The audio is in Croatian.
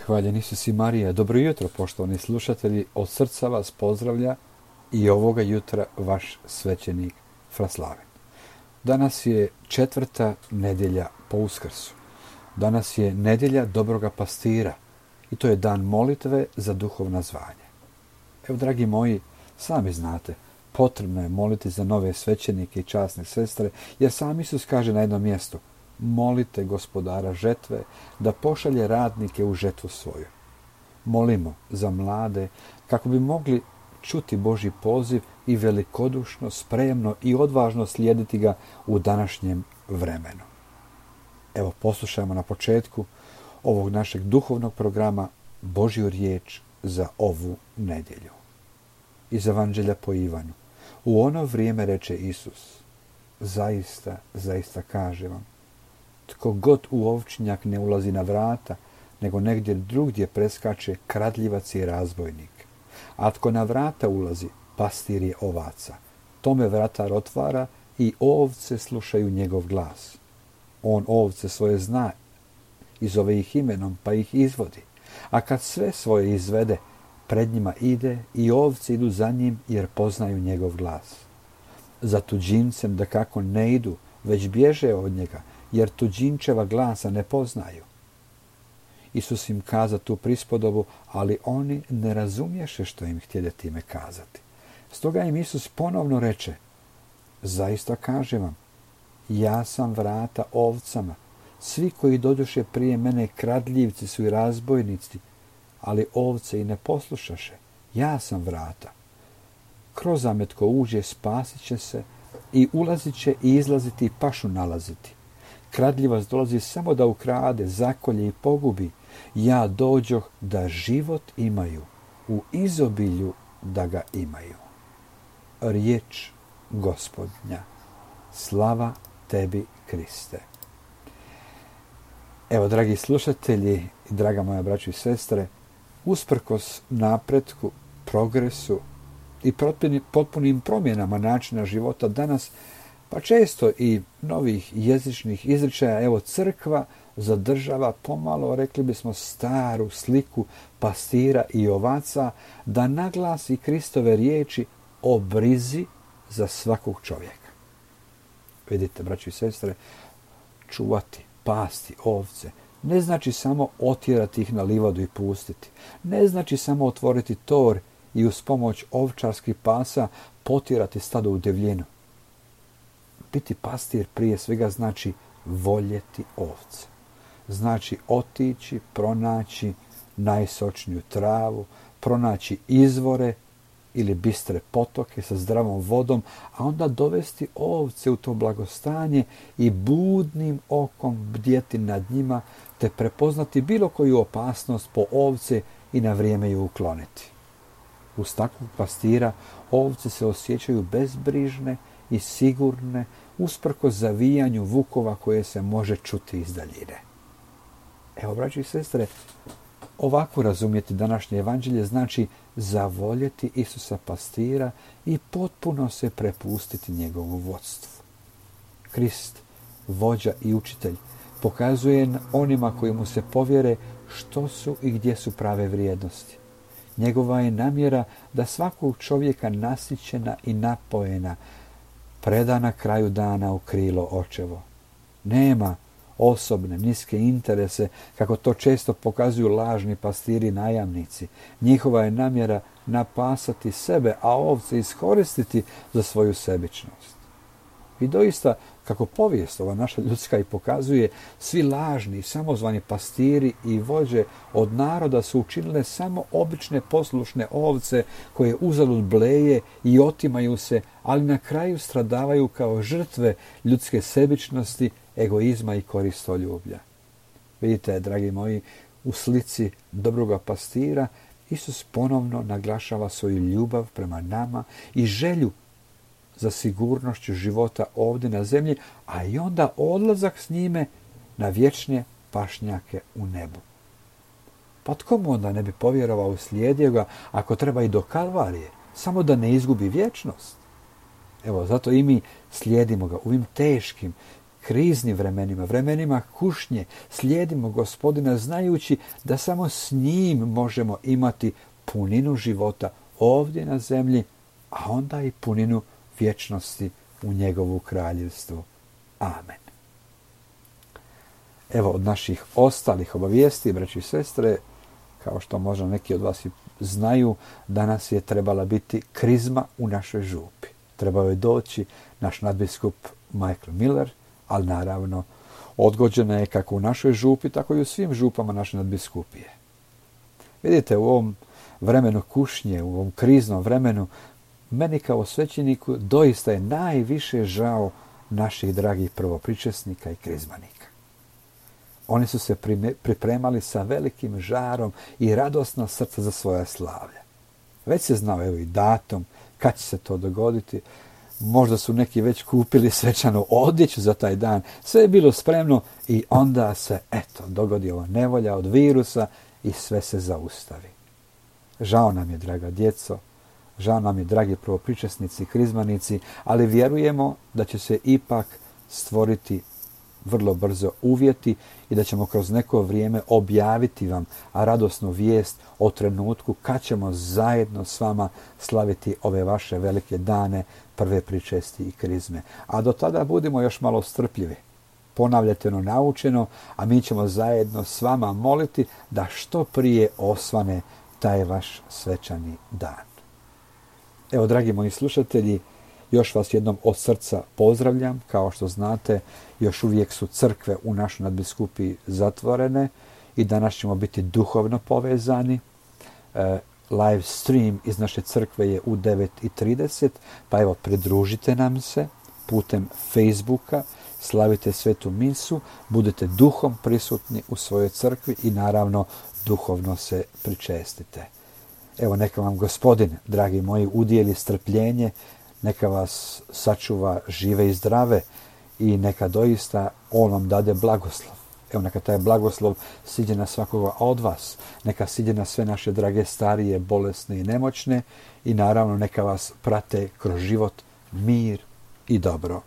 Hvaljen Isus i Marija. Dobro jutro, poštovani slušatelji. Od srca vas pozdravlja i ovoga jutra vaš svećenik Fraslaven. Danas je 4. nedjelja po Uskrsu. Danas je nedjelja dobroga pastira i to je dan molitve za duhovna zvanja. Evo, dragi moji, sami znate, potrebno je moliti za nove svećenike i časne sestre, jer sam Isus kaže na jednom mjestu: molite Gospodara žetve da pošalje radnike u žetvu svoju. Molimo za mlade kako bi mogli čuti Božji poziv i velikodušno, spremno i odvažno slijediti ga u današnjem vremenu. Evo, poslušajmo na početku ovog našeg duhovnog programa Božju riječ za ovu nedjelju. Iz Evanđelja po Ivanu. U ono vrijeme reče Isus: zaista, zaista kažem vam, tko god u ovčinjak ne ulazi na vrata, nego negdje drugdje preskače, kradljivac i razbojnik. A tko na vrata ulazi, pastir je ovaca. Tome vratar otvara i ovce slušaju njegov glas. On ovce svoje zna i zove ih imenom, pa ih izvodi. A kad sve svoje izvede, pred njima ide i ovce idu za njim, jer poznaju njegov glas. Za tuđincem dakako ne idu, već bježe od njega, jer tuđinčeva glasa ne poznaju. Isus im kaza tu prispodobu, ali oni ne razumješe što im htjede time kazati. Stoga im Isus ponovno reče: zaista kažem vam, ja sam vrata ovcama. Svi koji dođoše prije mene kradljivci su i razbojnici, ali ovce i ne poslušaše. Ja sam vrata. Kroz zamet ko uđe, spasit će se, i ulazit će i izlaziti i pašu nalaziti. Kradljivac dolazi samo da ukrade, zakolje i pogubi. Ja dođoh da život imaju, u izobilju da ga imaju. Riječ Gospodnja. Slava tebi, Kriste. Evo, dragi slušatelji i draga moja braćo i sestre, usprkos napretku, progresu i potpunim promjenama načina života danas, pa često i novih jezičnih izričaja, evo, crkva zadržava pomalo, rekli bismo, staru sliku pastira i ovaca, da naglasi Kristove riječi o brizi za svakog čovjeka. Vidite, braći i sestre, čuvati, pasti ovce ne znači samo otjerati ih na livadu i pustiti. Ne znači samo otvoriti tor i uz pomoć ovčarskih pasa potjerati stado u divljinu. Biti pastir prije svega znači voljeti ovce. Znači otići, pronaći najsočniju travu, pronaći izvore ili bistre potoke sa zdravom vodom, a onda dovesti ovce u to blagostanje i budnim okom bdjeti nad njima, te prepoznati bilo koju opasnost po ovce i na vrijeme ju ukloniti. Uz takvog pastira ovce se osjećaju bezbrižne i sigurne, usprkos zavijanju vukova koje se može čuti iz daljine. Evo, braći i sestre, ovako razumjeti današnje evanđelje znači zavoljeti Isusa pastira i potpuno se prepustiti njegovu vodstvu. Krist, vođa i učitelj, pokazuje onima koji mu se povjere što su i gdje su prave vrijednosti. Njegova je namjera da svakog čovjeka nasićena i napojena preda na kraju dana u krilo očevo. Nema osobne, niske interese, kako to često pokazuju lažni pastiri i najamnici. Njihova je namjera napasati sebe, a ovce iskoristiti za svoju sebičnost. I doista, kako povijest ova naša ljudska i pokazuje, svi lažni i samozvani pastiri i vođe od naroda su učinile samo obične poslušne ovce koje uzalud bleje i otimaju se, ali na kraju stradavaju kao žrtve ljudske sebičnosti, egoizma i koristoljublja. Vidite, dragi moji, u slici dobroga pastira Isus ponovno naglašava svoju ljubav prema nama i želju za sigurnošću života ovdje na zemlji, a i onda odlazak s njime na vječne pašnjake u nebu. Pa tko mu onda ne bi povjerovao i slijedio ga, ako treba i do Kalvarije, samo da ne izgubi vječnost? Evo, zato i mi slijedimo ga u ovim teškim kriznim vremenima, vremenima kušnje, slijedimo Gospodina znajući da samo s njim možemo imati puninu života ovdje na zemlji, a onda i puninu vječnosti u njegovu kraljevstvu. Amen. Evo od naših ostalih obavijesti, braći i sestre, kao što možda neki od vas i znaju, danas je trebala biti krizma u našoj župi. Trebao je doći naš nadbiskup Michael Miller, ali naravno odgođena je kako u našoj župi, tako i u svim župama naše nadbiskupije. Vidite, u ovom vremenu kušnje, u ovom kriznom vremenu, meni kao svećeniku doista je najviše žao naših dragih prvopričesnika i krizmanika. Oni su se pripremali sa velikim žarom i radosno srce za svoje slavlje. Već se znao evo i datum kad će se to dogoditi. Možda su neki već kupili svečanu odjeću za taj dan. Sve je bilo spremno i onda se, dogodi ova nevolja od virusa i sve se zaustavi. Žao nam je, draga djeco, žao nam je, dragi prvopričesnici i krizmanici, ali vjerujemo da će se ipak stvoriti vrlo brzo uvjeti i da ćemo kroz neko vrijeme objaviti vam radosnu vijest o trenutku kad ćemo zajedno s vama slaviti ove vaše velike dane prve pričesti i krizme. A do tada budimo još malo strpljivi. Ponavljajte ono naučeno, a mi ćemo zajedno s vama moliti da što prije osvane taj vaš svečani dan. Evo, dragi moji slušatelji, još vas jednom od srca pozdravljam. Kao što znate, još uvijek su crkve u našoj nadbiskupiji zatvorene i danas ćemo biti duhovno povezani. Live stream iz naše crkve je u 9:30, pa evo, pridružite nam se putem Facebooka, slavite svetu misu, budete duhom prisutni u svojoj crkvi i naravno duhovno se pričestite. Evo, neka vam Gospodin, dragi moji, udijeli strpljenje, neka vas sačuva žive i zdrave i neka doista on vam dade blagoslov. Evo, neka taj blagoslov siđe na svakoga od vas, neka siđe na sve naše drage starije, bolesne i nemoćne i naravno neka vas prate kroz život mir i dobro.